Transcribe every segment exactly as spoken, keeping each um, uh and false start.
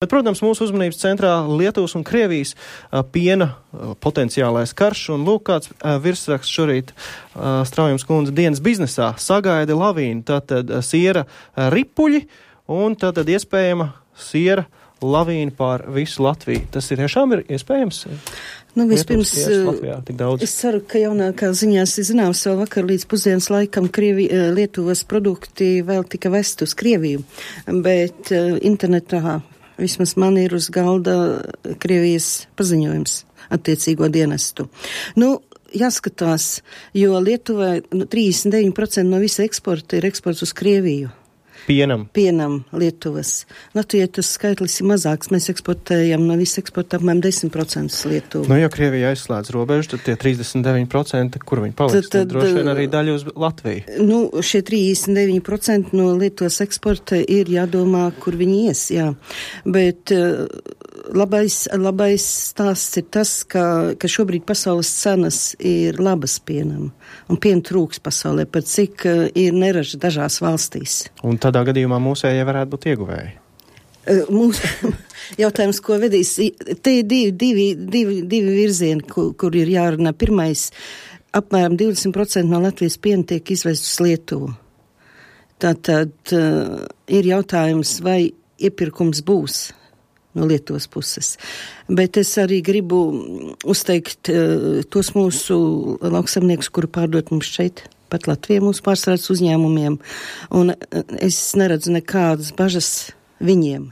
Bet, protams, mūsu uzmanības centrā Lietuvas un Krievijas uh, piena uh, potenciālais karš, un lūk, kāds uh, virsraksts šorīt uh, Straujums kundze dienas biznesā sagaida lavīnu, tātad uh, siera uh, ripuļi, un tātad iespējama siera lavīna pār visu Latviju. Tas ir tiešām ir iespējams? Nu, vispirms, Latvijā, es ceru, ka jaunākā ziņās ir zināms, vēl vakar līdz pusdienas laikam Krievi, Lietuvas produkti vēl tika vest uz Krieviju, bet uh, internetā vismaz man ir uz galda Krievijas paziņojums attiecīgo dienestu. Nu, jāskatās, jo Lietuvai nu, trīsdesmit deviņi procenti no visa eksporta ir eksports uz Krieviju. Pienam. Pienam Lietuvas. Latvijai tas skaitlis ir mazāks. Mēs eksportējam no visa eksporta apmēram desmit procenti Lietuvu. Nu, ja Krievija aizslēdz robežu, tad tie trīsdesmit deviņi procenti, kur viņi paliks, tad, tad droši vien arī daļa uz Latviju. Nu, šie trīsdesmit deviņi procenti no Lietuvas eksporta ir jādomā, kur viņi ies, jā. Bet uh, labais, labais stāsts ir tas, ka, ka šobrīd pasaules cenas ir labas pienam. Un piena trūks pasaulē, par cik uh, ir neraža dažās valstīs. Un tādā gadījumā mūsējie varētu būt ieguvēji. Uh, mūsu jautājums, ko vedīs, te ir divi, divi, divi, divi virzieni, kur, kur ir jārunā. Pirmais, apmēram divdesmit procenti no Latvijas piena tiek izvest uz Lietuvu. Tātad uh, ir jautājums, vai iepirkums būs no Lietuvas puses. Bet es arī gribu uzteikt uh, tos mūsu lauksaimniekus, kuri pārdot mums šeit, pat Latvijā mūsu pārstrādes uzņēmumiem, un uh, es neredzu nekādas bažas viņiem.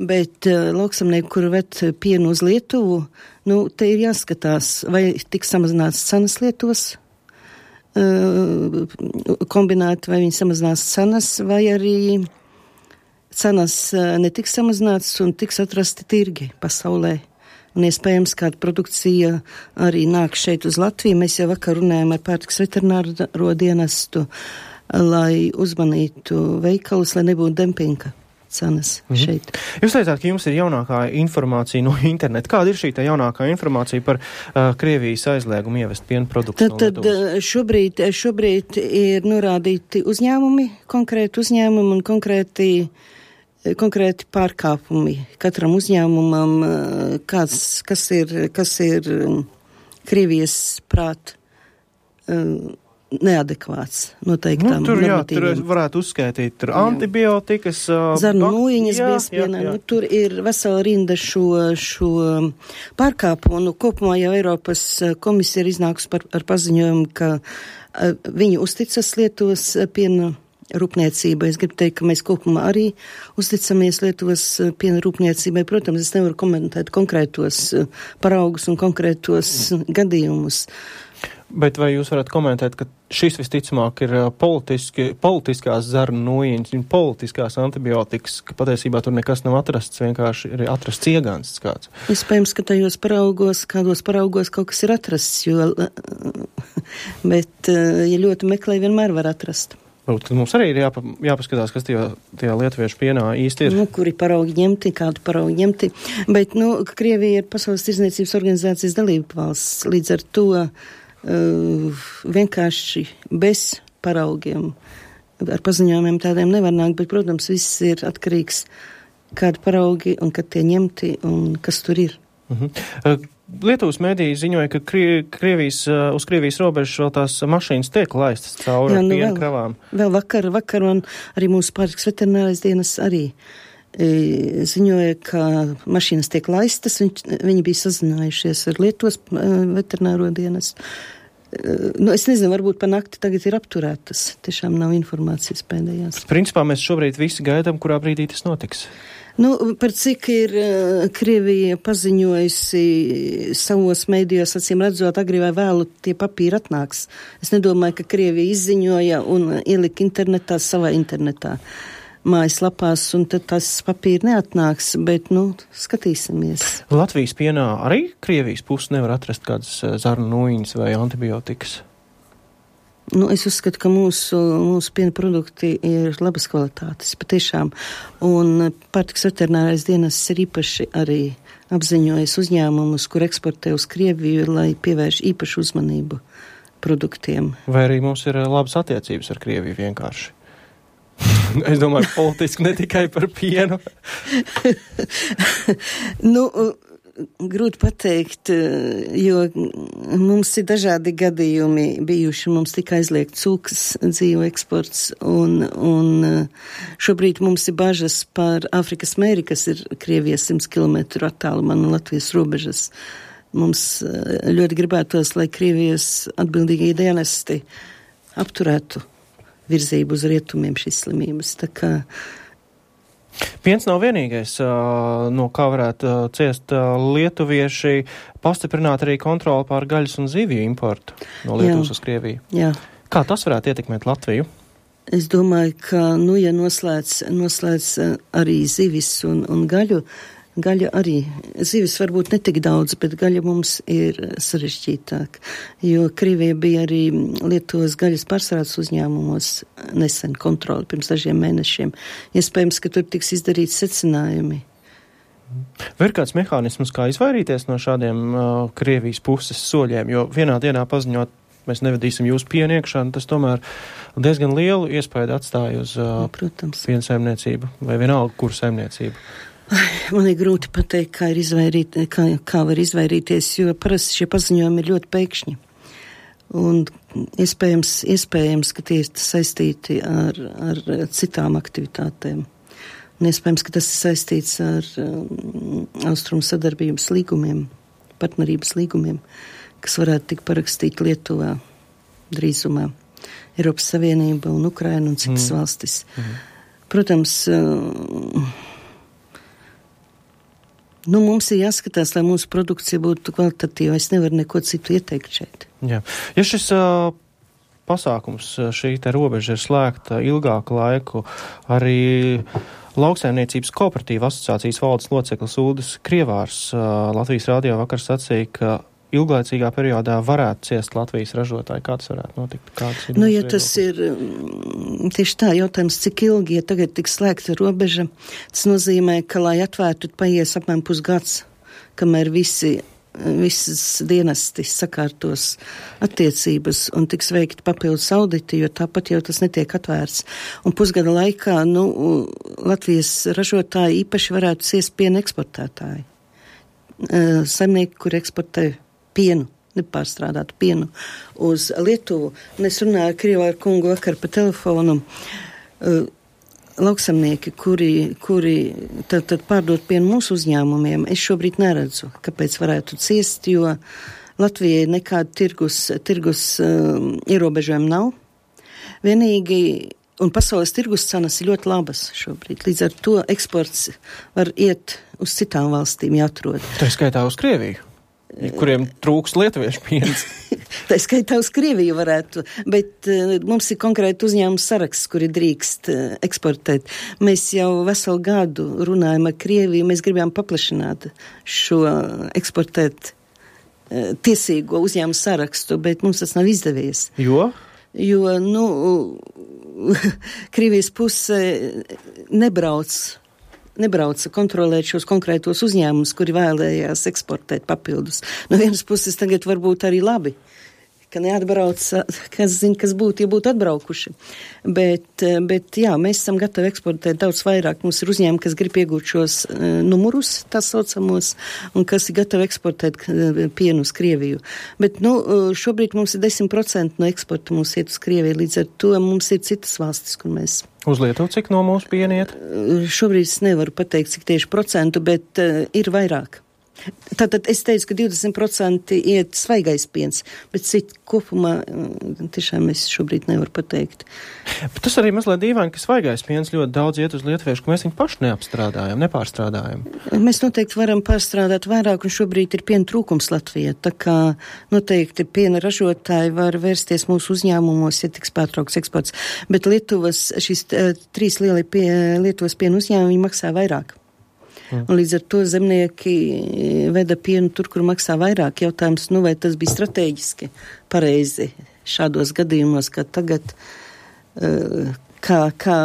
Bet uh, lauksaimnieki, kuri ved pienu uz Lietuvu, nu, te ir jāskatās, vai tiks samazināts cenas Lietuvas, uh, kombinēti, vai viņi samazinās cenas, vai arī cenas netiks samazināts un tiks atrasti tirgi pasaulē. Un iespējams, kāda produkcija arī nāk šeit uz Latviju. Mēs jau vakar runājām ar pārtikas veterināro dienestu, lai uzmanītu veikalus, lai nebūtu dempinga cenas mhm. šeit. Jūs teicāt, ka jums ir jaunākā informācija no interneta. Kāda ir šī tā jaunākā informācija par uh, Krievijas aizliegumu ievest piena produktus no Lietuvas? Tad šobrīd, šobrīd ir norādīti uzņēmumi, konkrēti uzņēmumi un konkrēti konkrēti pārkāpumi katram uzņēmumam, kāds, kas ir, kas ir Krievijas prāt neadekvāts noteiktām nu, tur, jā, tur normatīviem. varētu uzskaitīt tur antibiotikas, zarnu nūjiņas biespienā. Nu, tur ir vesela rinda šo, šo pārkāpumu. Nu, kopumā jau Eiropas komisija ir iznākusi par, ar paziņojumu, ka viņi uzticas Lietuvas piena rūpniecībai. Es gribu teikt, ka mēs kopumā arī uzticamies Lietuvas piena rūpniecībai. Protams, es nevaru komentēt konkrētos paraugus un konkrētos gadījumus. Bet vai jūs varat komentēt, ka šis visticamāk ir politiski, politiskās zarnu nūjiņas un politiskās antibiotikas, ka patiesībā tur nekas nav atrasts, vienkārši ir atrasts iegansts kāds? Iespējams, ka tajos paraugos, kādos paraugos kaut kas ir atrasts, jo, bet, ja ļoti meklē, vienmēr var atrast. Tad mums arī ir jāpa, jāpaskatās, kas tajā, tajā lietuviešu pienā īsti ir. Nu, kuri paraugi ņemti, kādu paraugi ņemti. Bet, nu, Krievija ir Pasaules tirdzniecības organizācijas dalība valsts. Līdz ar to uh, vienkārši bez paraugiem, ar paziņojumiem tādiem nevar nākt, bet, protams, viss ir atkarīgs, kādi paraugi un kad tie ņemti un kas tur ir. Uh-huh. Uh, Lietuvas mēdīji ziņoja, ka Krie, Krievijas, uh, uz Krievijas robežas vēl tās mašīnas tiek laistas cauri ar nu, piena kravām. Vēl vakar, vakar un arī mūsu pārtikas veterinārais dienas arī e, ziņoja, ka mašīnas tiek laistas. Viņ, viņi bija sazinājušies ar Lietuvas e, veterināro dienas. E, nu, es nezinu, varbūt pa nakti tagad ir apturētas. Tiešām nav informācijas pēdējās. Principā mēs šobrīd visi gaidām, kurā brīdī tas notiks. Nu, par cik ir uh, Krievija paziņojusi savos mēdījos, acīm redzot, agri vai vēlu tie papīri atnāks. Es nedomāju, ka Krievija izziņoja un ielika internetā savā internetā mājaslapās, un tad tas papīri neatnāks, bet, nu, skatīsimies. Latvijas pienā arī Krievijas puses nevar atrast kādas zarnu nūjiņas vai antibiotikas? Nu, es uzskatu, ka mūsu, mūsu piena produkti ir labas kvalitātes, patiešām. Un pārtikas veterinārais dienas ir īpaši arī apziņojis uzņēmumus, kur eksportē uz Krieviju, lai pievērš īpašu uzmanību produktiem. Vai arī mums ir labas attiecības ar Krieviju vienkārši? Es domāju, politiski ne tikai par pienu. Nu, grūti pateikt, jo mums ir dažādi gadījumi bijuši. Mums tika aizliegt cūkas dzīvu eksports, un, un šobrīd mums ir bažas par Āfrikas mēri, kas ir Krievijas simts kilometru attālumā no Latvijas robežas. Mums ļoti gribētos, lai Krievijas atbildīgie dienesti apturētu virzību uz rietumiem šīs slimības. Tā kā piens nav vienīgais, no kā varētu ciest lietuvieši, pastiprināt arī kontroli pār gaļas un zivju importu no Lietuvas uz Krieviju. Jā. Kā tas varētu ietekmēt Latviju? Es domāju, ka, nu, ja noslēdz, noslēdz arī zivis un, un gaļu, gaļa arī, zivis varbūt netik daudz, bet gaļa mums ir sarežģītāk, jo Krievija bija arī Lietuvas gaļas pārstrādes uzņēmumos nesen kontroli pirms dažiem mēnešiem. Iespējams, ka tur tiks izdarīts secinājumi. Vai ir kāds mehānisms, kā izvairīties no šādiem uh, Krievijas puses soļiem, jo vienā dienā paziņot, mēs nevedīsim jūsu pienu iekšā, tas tomēr diezgan lielu iespēju atstāja uz uh, piena saimniecību vai vienalga, kur saimniecību? Man ir grūti pateikt, kā, ir izvairīt, kā, kā var izvairīties, jo parasti šie paziņojumi ir ļoti pēkšņi. Un iespējams, iespējams ka tie ir saistīti ar, ar citām aktivitātēm. Un iespējams, ka tas ir saistīts ar um, austrumu sadarbības līgumiem, partnerības līgumiem, kas varētu tikt parakstīti Lietuvā drīzumā. Eiropas Savienība un Ukraina un citas mm. valstis. Mm. Protams, uh, nu, mums ir jāskatās, lai mūsu produkcija būtu kvalitatīva. Es nevaru neko citu ieteikt šeit. Jā. Ja šis uh, pasākums, šī te robeža ir slēgta ilgāku laiku, arī Lauksaimniecības kooperatīva asociācijas valdes loceklis Uldis Krievārs uh, Latvijas radio vakar sacīja, ka ilglaicīgā periodā varētu ciest Latvijas ražotāji. Kā tas varētu notikt? Kāds ir nu, ja tas ir tieši tā jautājums, cik ilgi, ja tagad tiks slēgta robeža, tas nozīmē, ka, lai atvērtu, paies apmēram pusgads, kamēr visi, visas dienesti sakārtos attiecības un tiks veikti papildus auditi, jo tāpat jau tas netiek atvērts. Un pusgada laikā, nu, Latvijas ražotāji īpaši varētu ciest piena eksportētāji. Saimnieki, kur eksportē pienu, nepārstrādātu pienu uz Lietuvu. Un es runāju ar Krievāru kungu vakar pa telefonu. Uh, lauksamnieki, kuri, kuri tad, tad pārdot pienu mūsu uzņēmumiem, es šobrīd neredzu, kāpēc varētu ciest, jo Latvijai nekāda tirgus, tirgus uh, ierobežojumi nav. Vienīgi, un pasaules tirgus cenas ir ļoti labas šobrīd. Līdz ar to eksports var iet uz citām valstīm, jāatrod. Tā skaitā uz Krieviju, kuriem trūks lietuviešu piens. Tā skaitā uz Krieviju varētu, bet uh, mums ir konkrēti uzņēmums saraksts, kuri drīkst uh, eksportēt. Mēs jau veselu gadu runājam ar Krieviju, mēs gribējām paplašināt šo eksportēt uh, tiesīgo uzņēmumu sarakstu, bet mums tas nav izdevies. Jo? Jo, nu, Krievijas puse nebrauc nebrauca kontrolēt šos konkrētos uzņēmumus, kuri vēlējās eksportēt papildus. No vienas puses tagad varbūt arī labi, ka neatbrauc, kas zina, kas būtu, ja būtu atbraukuši. Bet, bet jā, mēs esam gatavi eksportēt daudz vairāk. Mums ir uzņēmumi, kas grib iegūt šos uh, numurus, tā saucamos, un kas ir gatavi eksportēt uh, pienu uz Krieviju. Bet, nu, šobrīd mums ir desmit procenti no eksporta mums iet uz Krieviju, līdz ar to mums ir citas valstis, kur mēs. Uz Lietuvu cik no mūsu piena iet? Uh, šobrīd es nevaru pateikt, cik tieši procentu, bet uh, ir vairāk. Tātad es teicu, ka divdesmit procenti iet svaigais piens, bet citi kopumā tiešām es šobrīd nevaru pateikt. Bet tas arī mazliet dīvaini, ka svaigais piens ļoti daudz iet uz lietuviešu, ka mēs viņu paši neapstrādājam, nepārstrādājam. Mēs noteikti varam pārstrādāt vairāk, un šobrīd ir piena trūkums Latvijā, tā kā noteikti piena ražotāji var vērsties mūsu uzņēmumos, ja tiks pārtraukts eksports. Bet Lietuvas, šīs trīs lielie pie, Lietuvas piena uzņēmumi maksā vairāk. Un līdz ar to zemnieki veda pienu tur, kur maksā vairāk. Jautājums, nu vai tas bija strateģiski pareizi šādos gadījumos, kā tagad, kā, kā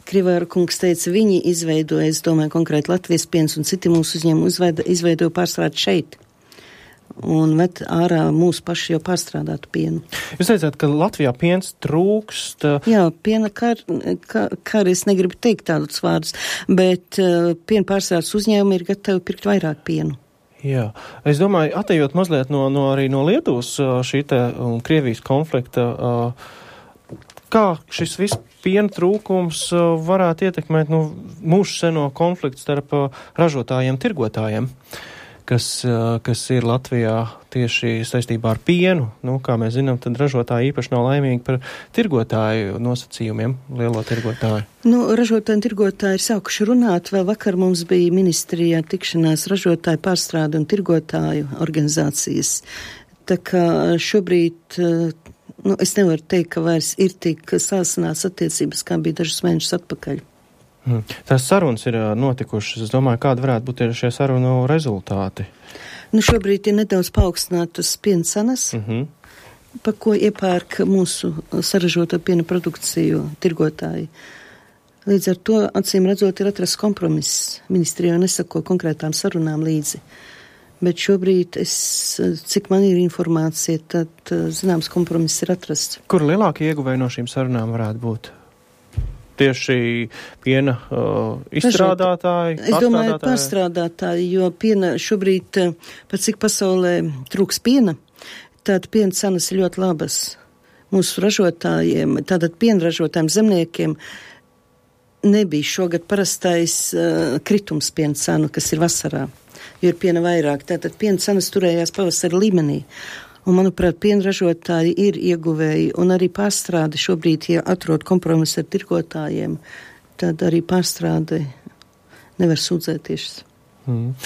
Krievāra kungs teica, viņi izveidoja, es domāju, konkrēti Latvijas piens un citi mūsu uzņēmumi izveidoja pārstrādi šeit. un met ārā mūsu paši jau pārstrādātu pienu. Jūs teicāt, ka Latvijā piens trūkst. Jā, piena kar, kar, kar es negribu teikt tādus vārdus, bet uh, piena pārstrādes uzņēmumi ir gatavi pirkt vairāk pienu. Jā, es domāju, atejot mazliet no, no arī no Lietuvas šī te un Krievijas konflikta, kā šis viss piena trūkums varētu ietekmēt nu, mūsu seno konfliktu starp ražotājiem, tirgotājiem, kas, kas ir Latvijā tieši saistībā ar pienu. Nu, kā mēs zinām, tad ražotāji īpaši nav laimīgi par tirgotāju nosacījumiem, lielo tirgotāju. Nu, ražotāji un tirgotāji ir sākuši runāt. Vēl vakar mums bija ministrijā tikšanās ražotāju pārstrādu un tirgotāju organizācijas. Tā kā šobrīd, nu, es nevaru teikt, ka vairs ir tik sāsināts attiecības, kā bija dažus mēnešus atpakaļ. Hmm. Tās sarunas ir notikušas. Es domāju, kāda varētu būt šie sarunu rezultāti? Nu, šobrīd ir nedaudz paaugstinātas piena cenas, uh-huh. pa ko iepērk mūsu saražoto piena produkciju tirgotāji. Līdz ar to, acīm redzot, ir atrasts kompromiss. Ministrija jau nesako konkrētām sarunām līdzi. Bet šobrīd, es, cik man ir informācija, tad zināms kompromiss ir atrasts. Kur lielākie ieguvēji no šīm sarunām varētu būt? Tieši piena uh, izstrādātāji, es domāju, pārstrādātāji, jo piena šobrīd, pat cik pasaulē trūks piena, tātad piena cenas ir ļoti labas. Mūsu ražotājiem, tātad piena ražotājiem, zemniekiem nebija šogad parastais uh, kritums piena cenu, kas ir vasarā, jo ir piena vairāk. Tātad piena cenas turējās pavasara līmenī. Un, manuprāt, pienražotāji ir ieguvēji, un arī pārstrāde šobrīd, ja atrod kompromisu ar tirgotājiem, tad arī pārstrāde nevar sūdzēties. Mm.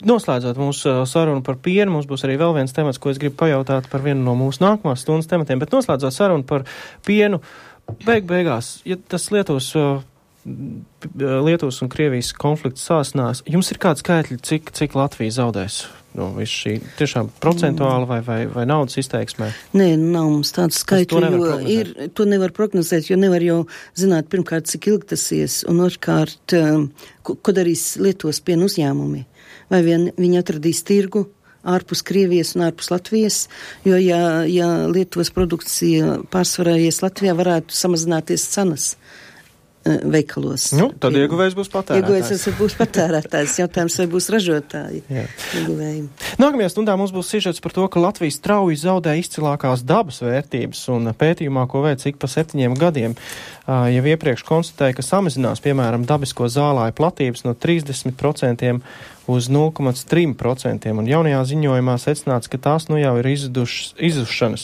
Noslēdzot mūsu sarunu par pienu, mums būs arī vēl viens temats, ko es gribu pajautāt par vienu no mūsu nākamās stundas tematiem, bet noslēdzot sarunu par pienu, beig beigās, ja tas Lietuvas, Lietuvas un Krievijas konflikts sāsinās, jums ir kādi skaitļi, cik, cik Latvija zaudēs? Nu, viss šī tiešām procentuāli vai, vai, vai naudas izteiksmē? Nē, nav mums tādu skaitļu, jo ir, to nevar prognozēt, jo nevar jau zināt, pirmkārt, cik ilgi tas ies, un otrkārt, ko, ko darīs Lietuvas piena uzņēmumi. Vai vien viņi atradīs tirgu ārpus Krievijas un ārpus Latvijas, jo ja, ja Lietuvas produkcija pārsvarājies Latvijā, varētu samazināties cenas veikalos. Nu, tad ieguvējs būs patērētājs. Ieguvējs būs patērētājs. Jautājums, vai būs ražotāji. Ieguvēji. Nākamajā stundā mums būs sižets par to, ka Latvija strauji zaudē izcilākās dabas vērtības, un pētījumā, ko veic ik pa septiņiem gadiem, jau iepriekš konstatēja, ka samazinās, piemēram, dabisko zālāju platības no trīsdesmit procentiem uz nulle komats trīs procenti, un jaunajā ziņojumā secināts, ka tās nu jau ir izdušas, izušanas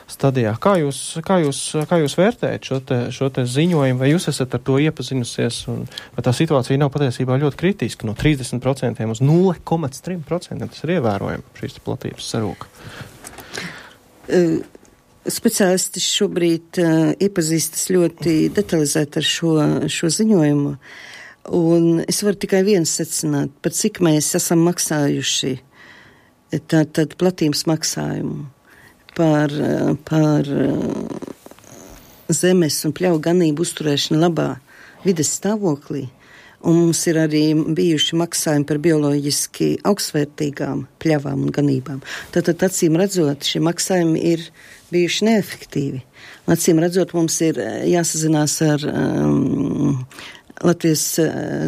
stadijā. Kā jūs, kā jūs, kā jūs vērtējat šo te, šo te ziņojumu, vai jūs esat ar to iepazinusies, un vai tā situācija nav patiesībā ļoti kritiska, no trīsdesmit procentiem uz nulle komats trīs procenti, tas ir ievērojami, šīs platības sarūka? Uh. Speciālisti šobrīd uh, iepazīstas ļoti detalizēti ar šo, šo ziņojumu, un es varu tikai viens secināt, par cik mēs esam maksājuši tātad platības maksājumu par, par zemes un pļauju ganību uzturēšanu labā vides stāvoklī, un mums ir arī bijuši maksājumi par bioloģiski augstvērtīgām pļavām un ganībām. Tātad, acīm redzot, šie maksājumi ir bijuši neefektīvi. Acīm redzot, mums ir jāsazinās ar um, Latvijas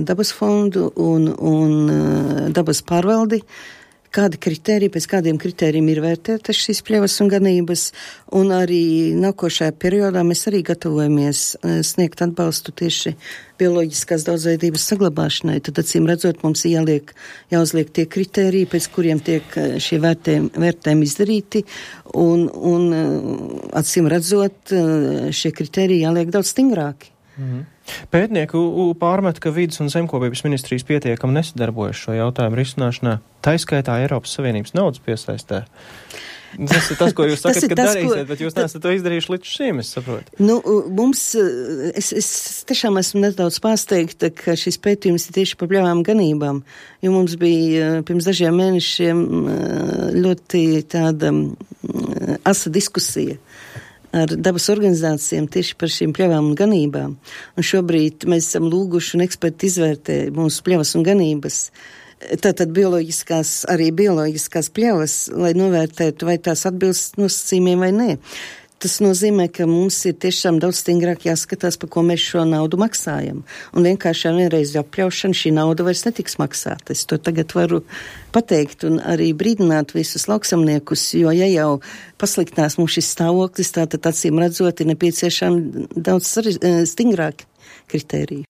dabas fondu un, un uh, dabas pārvaldi, kādi kritēriji, pēc kādiem kritērijiem ir vērtētas šīs pļavas un ganības, un arī nākošajā periodā mēs arī gatavojamies sniegt atbalstu tieši bioloģiskās daudzveidības saglabāšanai. Tad, acīm redzot, mums jāliek, jāuzliek tie kritēriji, pēc kuriem tiek šie vērtējumi, vērtējumi izdarīti, un, un acīm redzot, šie kritēriji jāliek daudz stingrāki. Mhm. Pētnieku pārmet, ka vidas un zemkopības ministrijas pietiekami nesadarbojas šo jautājumu risināšanā, taiskaitā Eiropas Savienības naudas piesaistē. Tas ir tas, ko jūs sakat, ka tas, darīsiet, ko... bet jūs neesat to izdarījuši līdz šim, es saprotu. Nu, mums, es, es tiešām esmu nedaudz pārsteigta, ka šis pētījums ir tieši par pļavām ganībām, jo mums bija pirms dažiem mēnešiem ļoti tāda asa diskusija ar dabas organizācijām tieši par šīm pļavām un ganībām. Un šobrīd mēs esam lūguši un eksperti izvērtē mūsu pļavas un ganības tātad bioloģiskās, arī bioloģiskās pļavas, lai novērtētu, vai tās atbilst nosacījumiem vai nē. Tas nozīmē, ka mums ir tiešām daudz stingrāk jāskatās, par ko mēs šo naudu maksājam. Un vienkārši vienreiz apļaušana šī nauda vairs netiks maksāta. Es to tagad varu pateikt un arī brīdināt visus lauksamniekus, jo ja jau pasliktinās mums šis stāvoklis, tātad acīm redzot ir nepieciešami daudz stingrāki kritēriji.